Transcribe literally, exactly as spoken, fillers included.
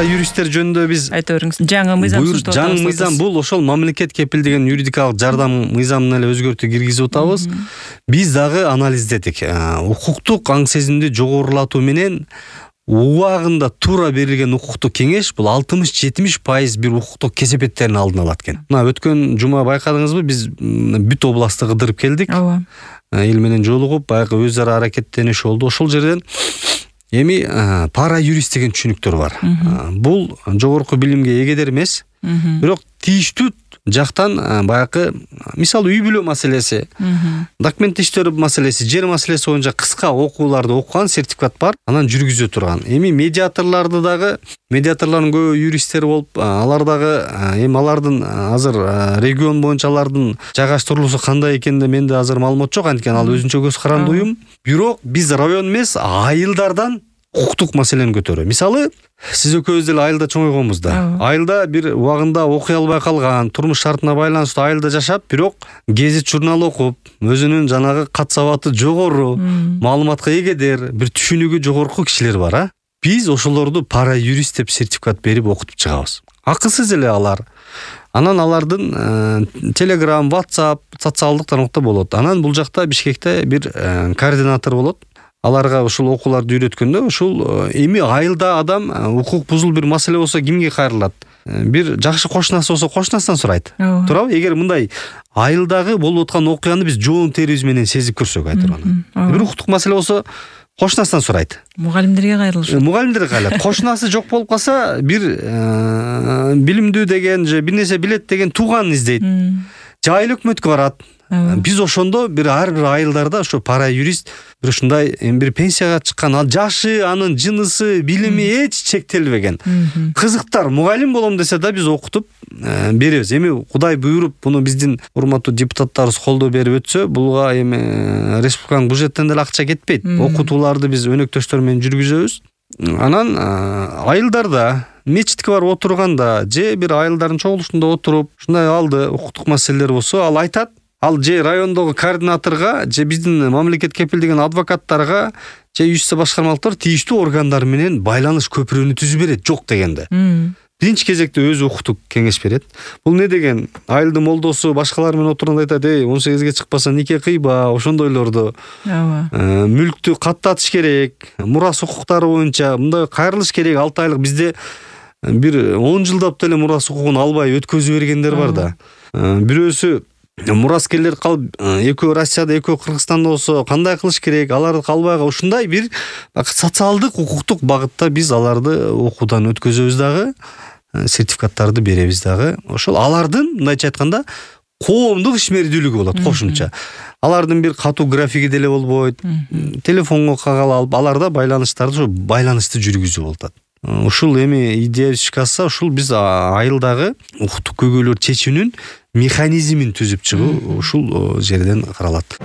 пара юристтер жөнүндө биз айта бериңиз. Жаңы мыйзам сунуштап атабыз. Жаңы мыйзам бул ошол мамлекет кепилдеген юридикалык жардам мыйзамын эле өзгөртүү киргизип атабыз. Биз дагы анализдедик. Укуктук аң сезимди жогорулатуу менен убагында туура берилген укуктук кеңеш бул алтымыш жетимиш пайыз бир укуктук кесепеттердин алдын алат экен. Мына өткөн жума байкадыңызбы, биз бүт областты кыдырып келдик. Ооба. Эл менен жолугуп, баягы өз ара аракеттениш болду. Ошол жерден эми пара юрист деген түшүнүктөр бар. Бул жогорку билимге эгедер эмес, бирок тийиштүү жактан баягы мисалы үй бүлө маселеси, документ иштөө маселеси, жер маселеси боюнча кыска окууларды окуган сертификат бар, анан жүргүзө турган. Эми медиаторлорду дагы, медиаторлордун көбү юристтер болуп, алар дагы эми алардын азыр регион боюнча алардын жайгаштырылуусу кандай экенде менде азыр маалымат жок, анткени ал өзүнчө көз каранды уюм. Бирок биз район эмес, айылдардан укуктук маселени көтөрүү. Мисалы, сиз экөөбүз деле айылда чоңойгонбуз да. Айылда бир убагында окуй албай калган, турмуш шартына байланыштуу айылда жашап, бирок гезит журнал окуп, өзүнүн жанагы кат сабаты жогору, маалыматка эгедер, бир түшүнүгү жогорку кишилер бар, а. Биз ошолорду пара юрист деп сертификат берип окутуп чыгабыз. Акысыз эле алар. Анан алардын Telegram, WhatsApp, социалдык тармакта болот. Анан бул жакта Бишкекте бир координатор болот. Аларга ушул окууларды үйрөткөндө ушул эми айылда адам укук бузул бир маселе болсо кимге кайрылат? Бир жакшы кошунасы болсо кошунасынан сурайт. Туурабы? Эгер мындай айылдагы болуп аткан окуяны биз жоон терибиз менен сезип көрсөк айтырган. Бир укуктук маселе болсо кошунасынан сурайт. Мугалимдерге кайрылышат. Мугалимдерге кайрылат. Кошунасы жок болуп калса, бир билимдүү деген же бир нерсе билет деген тууганын издейт. Же айыл өкмөткө барат. Биз ошондо бир ар бир айылдарда ошо пара юрист бир ушундай эми бир пенсияга чыккан, ал жашы, анын жынысы, билими эч чектелбеген кызыктар мугалим болом десе да биз окутуп беребиз. Эми Кудай буйруп буну биздин урматтуу депутаттарыбыз колдоо берип өтсө, булга эми республиканын бюджеттен деле акча кетпейт. Окутууларды биз өнөктөштөр менен жүргүзөбүз. Анан айылдарда мечитке барып отурганда же бир айылдардын чогулушунда отуруп ушундай алды укуктук маселелер болсо, ал айтат. Ал же райондогу координаторго, же биздин мамлекет кепилдеген адвокаттарга, же юстиция башкармалыктар тийиштүү органдар менен байланыш көпүрөнү түзүп берет, жок дегенде. Биринчи кезекте өзү укуктук кеңеш берет. Бул не деген? Айылдын молдосу башкалар менен отурганда айтат: "Эй, он сегизге чыкпаса нике кыйба", ошондойлорду. Ооба. Мүлктү каттатыш керек, мурас укуктары боюнча мындай кайрылыш керек. алты айлык бизде бир он жылдап деле мурас укугун албай өткөзүп бергендер бар да. Бирөөсү мураскерлер калып, экөө Россияда, экөө Кыргызстанда болсо кандай кылыш керек? Аларды калбайга ушундай бир социалдык, укуктук багытта биз аларды окуудан өткөзөбүз дагы, сертификаттарды беребиз дагы. Ошол алардын мындайча айтканда коомдук ишмердүүлүгү болот кошумча. Алардын бир катуу графиги деле болбойт. Телефонго кагал алып, аларда байланыштарды ошо байланышты жүргүзүү болуп атат. Ушул эми идея ишке ашса, ушул биз айылдагы укуктук көйгөйлөр чечүүнүн механизмин түзүп чыгуу ушул жерден каралат.